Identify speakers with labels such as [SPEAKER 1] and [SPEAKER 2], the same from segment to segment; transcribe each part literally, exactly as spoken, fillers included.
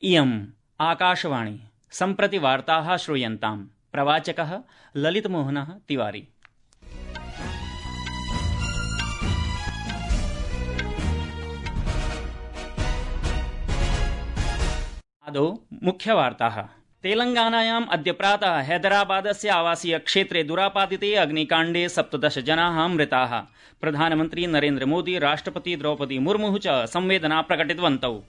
[SPEAKER 1] इयम् आकाशवाणी सम्प्रति वार्ताः श्रूयन्ताम्। प्रवाचकः ललितमोहनः तिवारी। आदौ मुख्यवार्ताः। तेलंगानायाम् अद्य प्रातः हैदराबादस्य आवासीय क्षेत्रे दुरापादिते अग्निकाण्डे सप्तदश जनाः मृताः। प्रधानमन्त्री नरेन्द्र मोदी, राष्ट्रपति द्रौपदी मुर्मुः च संवेदना प्रकटितवन्तौ।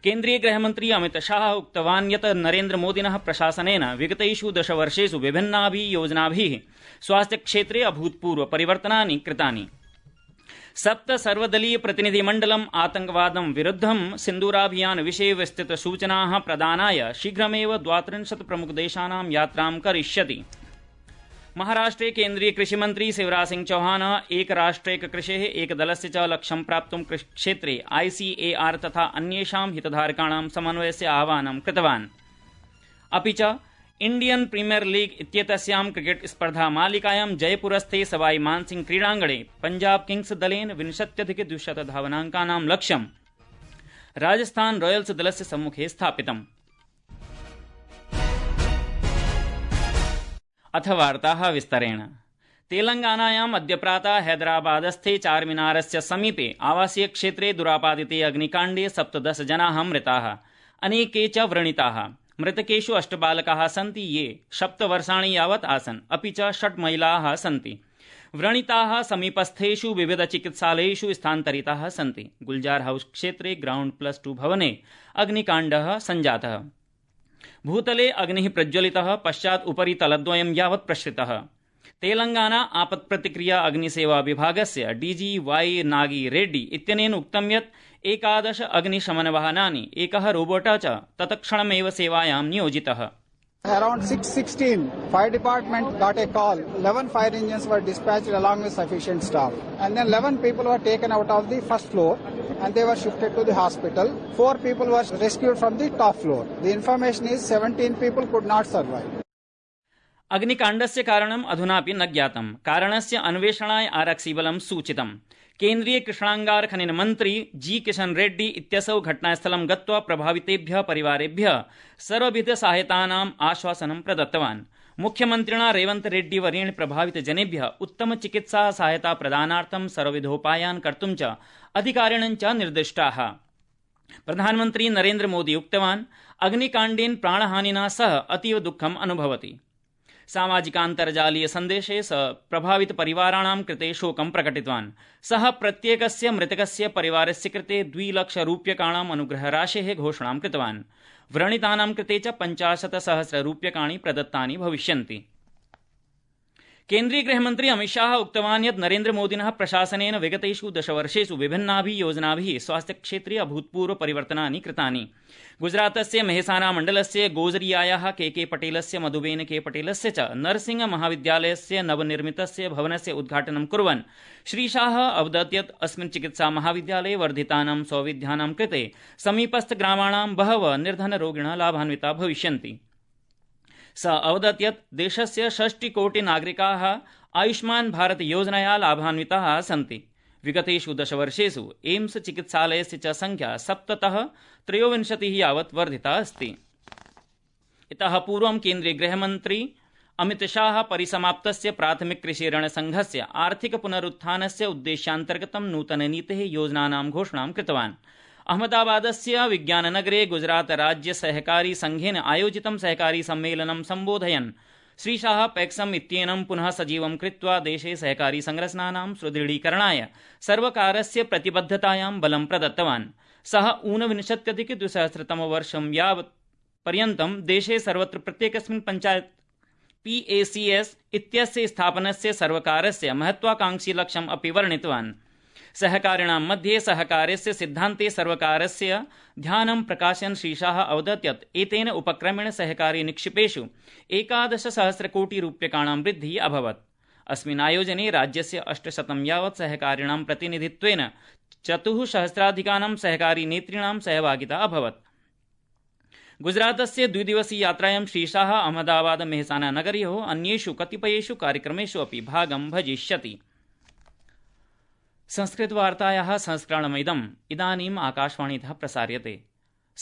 [SPEAKER 1] केन्द्रीय गृहमन्त्री अमित शाह उक्तवान् यत् नरेन्द्र मोदिनः प्रशासनेन विगतेषु दशवर्षेषु विभिन्नाभिः योजनाभिः स्वास्थ्यक्षेत्रे अभूतपूर्व परिवर्तनानि कृतानि। सप्त सर्वदलीय प्रतिनिधिमण्डलम् आतंकवादं विरुद्धं सिन्दूराभियान विषये विस्तृत सूचनाः प्रदानाय शीघ्रमेव द्वात्रिंशत् प्रमुखदेशानां यात्रां करिष्यति। महाराष्ट्रे केन्द्रीय कृषिमन्त्री शिवराज सिंह चौहान एक राष्ट्रैक कृषेः एक दलस्य च लक्ष्यं प्राप्तुं कृषिक्षेत्रे आईसीएआर तथा अन्येषां हितधारकाणां समन्वयस्य आह्वानं कृतवान्। अपि च इण्डियन प्रीमियर लीग इत्येतस्यां क्रिकेट स्पर्धा मालिकायां जयपुरस्थे सवाई मानसिंह क्रीडाङ्गणे पंजाब किंग्स दलेन विंशत्यधिक द्विशत धावनाङ्कानां लक्ष्यं राजस्थान रॉयल्स दलस्य सम्मुखे स्थापितम्। अथ वार्ताः विस्तरेण। तेलंगानायाम् अद्य प्रातः हैदराबादस्थे चारमीनारस्य समीपे आवासीय क्षेत्रे दुरापादिते अग्निकाण्डे सप्तदश जनाः मृताः, अनेके च व्रणिताः। मृतकेषु अष्ट बालकाः सन्ति ये सप्तवर्षाणि यावत् आसन्, अपि च षट् महिलाः सन्ति। व्रणिताः समीपस्थेषु विविध चिकित्सालयेषु स्थानान्तरिताः सन्ति। गुलजार हाउस क्षेत्रे ग्राउण्ड प्लस टू भवने अग्निकाण्डः सञ्जातः। भूतले अग्निः प्रज्वलितः, पश्चात् उपरि तलद्वयं यावत् प्रसृतः। तेलंगाना आपत्प्रतिक्रिया अग्निसेवा विभागस्य डीजी वाई नागी रेड्डी इत्यनेन उक्तं यत् एकादश अग्निशमनवाहनानि, एकः रोबोट च तत्क्षणमेव सेवायां नियोजितः।
[SPEAKER 2] Around six sixteen, fire department got a call. eleven fire engines were dispatched along with sufficient staff. And then eleven people were taken out of the first floor and they were shifted to the hospital. Four people were rescued from the top floor. The information is seventeen people could not survive.
[SPEAKER 1] अग्निकाण्डस्य कारणम् अधुनापि न ज्ञातम्। कारणस्य अन्वेषणाय आरक्षिबलं सूचितम्। केन्द्रीय कृष्णांगार खनन मन्त्री जी किशन रेड्डी इत्यसौ घटनास्थलं गत्वा प्रभावितेभ्यः परिवारेभ्यः सर्वविध सहायतानाम् आश्वासनं प्रदत्तवान्। मुख्यमन्त्रिणा रेवन्त रेड्डी वर्येण प्रभावितजनेभ्यः उत्तम चिकित्सा सहायता प्रदानार्थं सर्वविधोपायान् कर्तुं च अधिकारिणः च निर्दिष्टाः। प्रधानमन्त्री नरेन्द्र मोदी उक्तवान् अग्निकाण्डेन प्राणहानिना सह अतीव दुःखम् अनुभवति। सामाजिकान्तर्जालीय सन्देशे स प्रभावित परिवाराणां कृते शोकं प्रकटितवान्। सः प्रत्येकस्य मृतकस्य परिवारस्य कृते द्विलक्ष रूप्यकाणाम् अनुग्रहराशेः घोषणां कृतवान्। व्रणितानां कृते च पञ्चाशत् सहस्र रूप्यकाणि प्रदत्तानि भविष्यन्ति। केन्द्रीय गृहमन्त्री अमित शाह उक्तवान् यत् नरेन्द्र मोदिनः प्रशासनेन विगतेषु दशवर्षेषु विभिन्नाभिः योजनाभिः स्वास्थ्यक्षेत्रे अभूतपूर्व परिवर्तनानि कृतानि। गुजरातस्य मेहसाना मण्डलस्य गोजरियायाः के के पटेलस्य मधुबेन के पटेलस्य च नरसिंह महाविद्यालयस्य नवनिर्मितस्य भवनस्य उद्घाटनं कुर्वन् श्रीशाह अवदत् यत् अस्मिन् चिकित्सा महाविद्यालये वर्धितानां सौविध्यानां कृते समीपस्थग्रामाणां बहवः निर्धनरोगिणः लाभान्विताः भविष्यन्ति। स अवदत् यत् देशस्य षष्टिकोटिनागरिकाः आयुष्मान् भारत योजनया लाभान्विताः सन्ति। विगतेषु दशवर्षेषु एम्स चिकित्सालयस्य च संख्या सप्ततः त्रयोविंशतिः यावत् वर्धिता अस्ति। इतः पूर्वं केन्द्रीय गृहमन्त्री अमित शाह परिसमाप्तस्य प्राथमिक कृषि ऋणसङ्घस्य आर्थिक पुनरुत्थानस्य उद्देश्यान्तर्गतं नूतननीतेः योजनानां घोषणां कृतवान्। अहमदाबादस्य विज्ञाननगरे गुजरात राज्य सहकारी संघेन आयोजितं सहकारी सम्मेलनं सम्बोधयन् श्रीशाह पैक्सम इत्येनं पुनः सजीवं कृत्वा देशे सहकारी संरचनानां सुदृढीकरणाय सर्वकारस्य प्रतिबद्धतायां बलं प्रदत्तवान्। सः ऊनविंशत्यधिक द्विसहस्रतमवर्षं यावत् पर्यन्तं देशे सर्वत्र प्रत्येकस्मिन् पञ्चायत् पीएसीएस इत्यस्य स्थापनस्य सर्वकारस्य महत्वाकांक्षी लक्ष्यम् अपि वर्णितवान्। सहकारिणां मध्ये सहकारस्य सिद्धान्ते सर्वकारस्य ध्यानं प्रकाशयन् श्रीशाह अवदत् यत् एतेन उपक्रमेण सहकारी निक्षेपेषु एकादश सहस्र कोटि रूप्यकाणां वृद्धिः अभवत्। अस्मिन् आयोजने राज्यस्य अष्टशतं यावत् सहकारिणां प्रतिनिधित्वेन चतुःसहस्राधिकानां सहकारी नेतॄणां सहभागिता अभवत्। गुजरातस्य द्विदिवसीय यात्रायां श्रीशाह अहमदाबाद मेहसाना नगरयोः अन्येषु कतिपयेषु कार्यक्रमेषु अपि भागं भजिष्यति। संस्कृतवार्तायाः संस्करणमिदम् इदानीम् आकाशवाणीतः प्रसार्यते।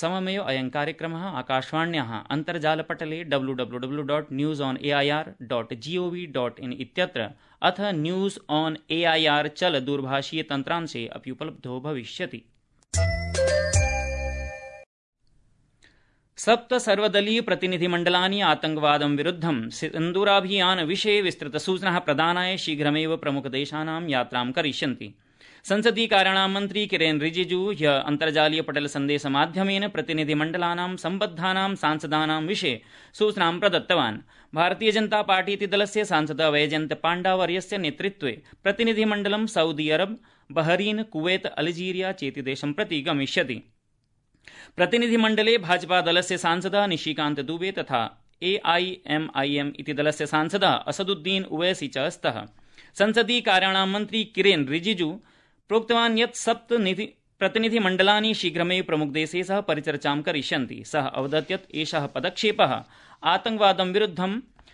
[SPEAKER 1] सममेव अयं कार्यक्रमः आकाशवाण्याः अन्तर्जालपटले W W W dot news on A I R dot G O V dot in इत्यत्र अथ news on A I R चल दूरभाषीय तन्त्रांशे अपि उपलब्धो भविष्यति। सप्त सर्वदलीय प्रतिनिधिमण्डलानि आतंकवादं विरुद्धं सिन्दूराभियान विषये विस्तृतसूचनाः प्रदानाय शीघ्रमेव प्रमुखदेशानां यात्रां करिष्यन्ति। संसदीय कार्याणां मन्त्री किरेन रिजिजू ह्यः अन्तर्जालीय पटल सन्देशमाध्यमेन प्रतिनिधिमण्डलानां सम्बद्धानां सांसदानां विषये सूचनां प्रदत्तवान्। भारतीय जनता पार्टी इति दलस्य सांसदः वैजयन्त पाण्डावर्यस्य नेतृत्वे प्रतिनिधिमण्डलं सऊदी अरब, बहरीन, कुवैत, अल्जीरिया चेति देशं प्रति गमिष्यति। प्रतिनिधिमण्डले भाजपा दलस्य सांसदः निशिकान्त दुबे तथा ए आई एम आई एम इति दलस्य सांसदः असदुद्दीन उवैसी च स्तः। संसदीय कार्याणां मन्त्री किरेन रिजिजू प्रोक्तवान् यत् सप्त प्रतिनिधिमण्डलानि शीघ्रमेव प्रमुखदेशैः सह परिचर्चां करिष्यन्ति। सः अवदत् यत् एषः पदक्षेपः आतंकवादं विरुद्धं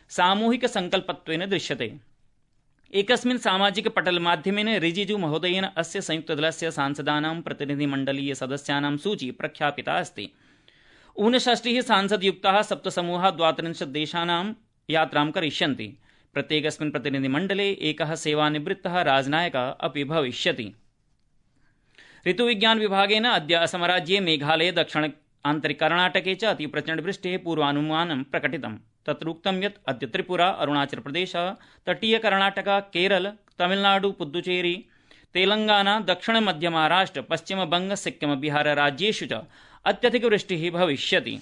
[SPEAKER 1] सामूहिकसङ्कल्पत्वेन दृश्यते। एकस्मिन् सामाजिक पटलमाध्यमेन रिजिजू महोदयेन अस्य संयुक्तदलस्य सांसदानां प्रतिनिधिमण्डलीय सदस्यानां सूची प्रख्यापिता अस्ति। ऊनषष्टिः सांसदयुक्ताः सप्तसमूहाः द्वात्रिंशत् देशानां यात्रां करिष्यन्ति। प्रत्येकस्मिन् प्रतिनिधिमण्डले एकः सेवानिवृत्तः राजनायकः अपि भविष्यति। ऋतुविज्ञान विभागेन अद्य असमराज्ये मेघालये दक्षिण आन्तरिककर्णाटके च अतिप्रचण्डवृष्टेः पूर्वानुमानं प्रकटितम्। तत्रोक्तं यत् अद्य त्रिपुरा, अरुणाचल प्रदेश, तटीयकर्णाटक, केरल, तमिलनाडु, पुद्दुचेरी, तेलंगाना, दक्षिण मध्य महाराष्ट्र, पश्चिमबंग, सिक्किम, बिहार राज्येषु च अत्यधिकवृष्टिः भविष्यति।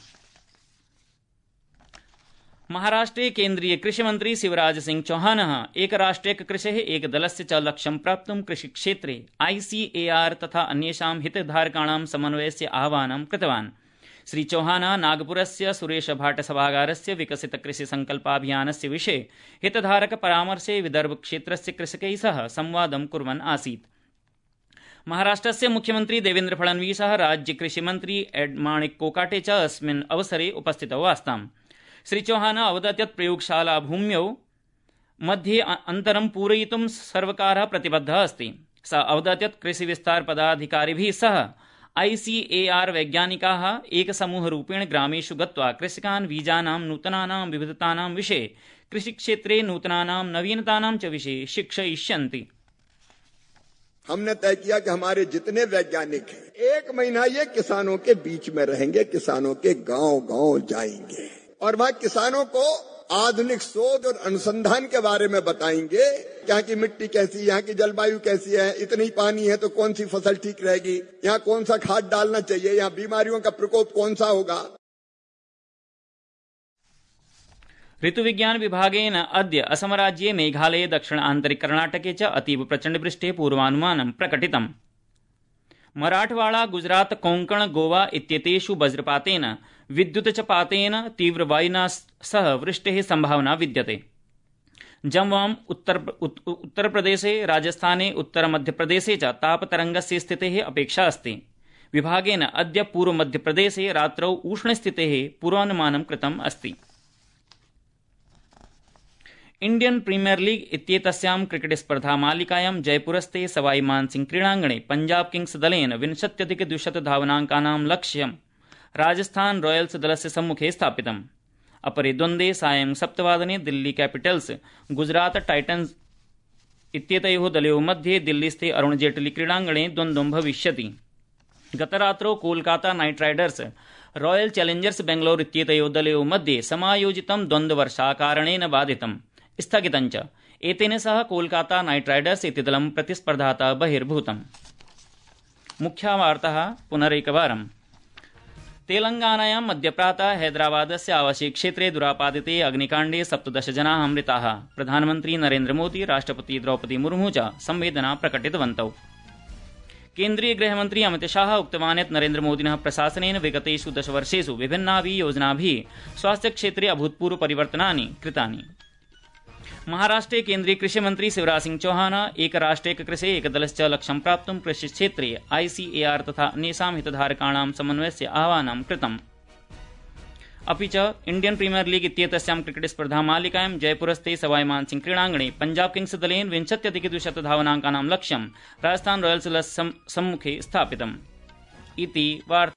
[SPEAKER 1] महाराष्ट्रे केन्द्रीय कृषिमन्त्री शिवराज सिंह चौहानः एक राष्ट्रियक कृषेः एक दलस्य च लक्ष्यं प्राप्तुं कृषिक्षेत्रे आई सी ए आर तथा अन्येषां हितधारकाणां समन्वयस्य आह्वानं कृतवान्। श्री चौहानः नागपुरस्य सुरेश भाट सभागारस्य विकसित कृषि संकल्पाभियानस्य विषये हितधारक परामर्शे विदर्भ क्षेत्रस्य कृषकैः सह संवादं कुर्वन् आसीत्। महाराष्ट्रस्य मुख्यमन्त्री देवेन्द्र फडणवीसः राज्य कृषिमन्त्री एड माणिक कोकाटे च अस्मिन् अवसरे उपस्थितौ आस्ताम्। श्री चौहानः अवदत् यत् प्रयोगशाला भूम्यौ मध्ये अन्तरं पूरयितुं सर्वकारः प्रतिबद्धः अस्ति। सः अवदत् यत् कृषिविस्तार पदाधिकारिभिः सह आई सी ए आर वैज्ञानिकाः एकसमूहरूपेण ग्रामेषु गत्वा कृषकान् बीजानां नूतनानां विविधतानां विषये, कृषिक्षेत्रे नूतनानां नवीनतानां च विषये शिक्षयिष्यन्ति।
[SPEAKER 3] हमने तय किया कि हमारे जितने वैज्ञानिक हैं एक महीना ये किसानों के बीच में रहेंगे, किसानों के गांव गांव जाएंगे और वहां किसानों को आधुनिक शोध और अनुसंधान के बारे में बताएंगे। यहाँ की मिट्टी कैसी, यहाँ की जलवायु कैसी है, इतनी पानी है तो कौन सी फसल ठीक रहेगी, यहाँ कौन सा खाद डालना चाहिए, यहाँ बीमारियों का प्रकोप कौन सा होगा।
[SPEAKER 1] ऋतुविज्ञान विभागेन अद्य असमराज्ये मेघालये दक्षिण आन्तरिक कर्णाटके च अतीव प्रचण्डवृष्टेः पूर्वानुमानं प्रकटितम्। मराठवाड़ा, गुजरात, कोंकण, गोवा इत्येतेषु वज्रपातेन, विद्युतचपातेन, तीव्रवायुना सह वृष्टेः संभावना विद्यते। जम्वां, उत्तर उत्तरप्रदेशे, राजस्थाने, उत्तरमध्यप्रदेशे च तापतरङ्गस्य स्थितेः अपेक्षा अस्ति। विभागेन अद्य पूर्वमध्यप्रदेशे रात्रौ उष्णस्थितेः पूर्वानुमानं कृतम् अस्ति। इंडियन प्रीमियर लीग इत्येतस्यां क्रिकेट स्पर्धा मालिकायां जयपुरस्थे सवाई मानसिंह क्रीडाङ्गणे पंजाब किंग्स दलेन विंशत्यधिक द्विशत धावनाङ्कानां लक्ष्यं राजस्थान रॉयल्स दलस्य सम्मुखे स्थापितम्। अपरे द्वन्द्वे सायं सप्तवादने दिल्ली कैपिटल्स गुजरात टाइटन्स इत्येतयोः दलयोः मध्ये दिल्लीस्थे अरुण जेटली क्रीडाङ्गणे द्वन्द्वं भविष्यति। गतरात्रौ Kolkata night Riders royal Challengers Bangalore इत्येतयोः दलयोः मध्ये समायोजितं द्वन्द्ववर्षाकारणेन बाधितम् स्थगितञ्च। एतेन सह कोलकाता नाइट राइडर्स इति दलं प्रतिस्पर्धातः बहिर्भूतम्। मुख्यवार्ताः पुनरेकवारम्। तेलंगानायां मध्यप्रातः हैदराबादस्य आवासीयक्षेत्रे दुरापादिते अग्निकाण्डे सप्तदश जनाः मृताः। प्रधानमन्त्री नरेन्द्र मोदी, राष्ट्रपति द्रौपदी मुर्मू च संवेदना प्रकटितवन्तौ। केन्द्रीय गृहमन्त्री अमित शाह उक्तवान् यत् नरेन्द्र मोदिनः प्रशासनेन विगतेषु दशवर्षेषु विभिन्नाभिः योजनाभिः स्वास्थ्यक्षेत्रे अभूतपूर्व परिवर्तनानि कृतानि। महाराष्ट्रे केन्द्रीय कृषिमन्त्री शिवराज सिंह चौहान एक राष्ट्रियक कृषे एकदलश्च लक्ष्यं प्राप्तुं कृषिक्षेत्रे आई सी ए आर तथा अन्येषां हितधारकाणां समन्वयस्य आह्वानं कृतम्। अपि च इंडियन प्रीमियर लीग इत्येतस्यां क्रिकेट स्पर्धा मालिकायां जयपुरस्थे सवाई मानसिंह क्रीडाङ्गणे पंजाब किंग्स दलेन विंशत्यधिक द्विशत धावनाङ्कानां लक्ष्यं राजस्थान रॉयल्स सम्मुखे स्थापितम्। इति वार्ता।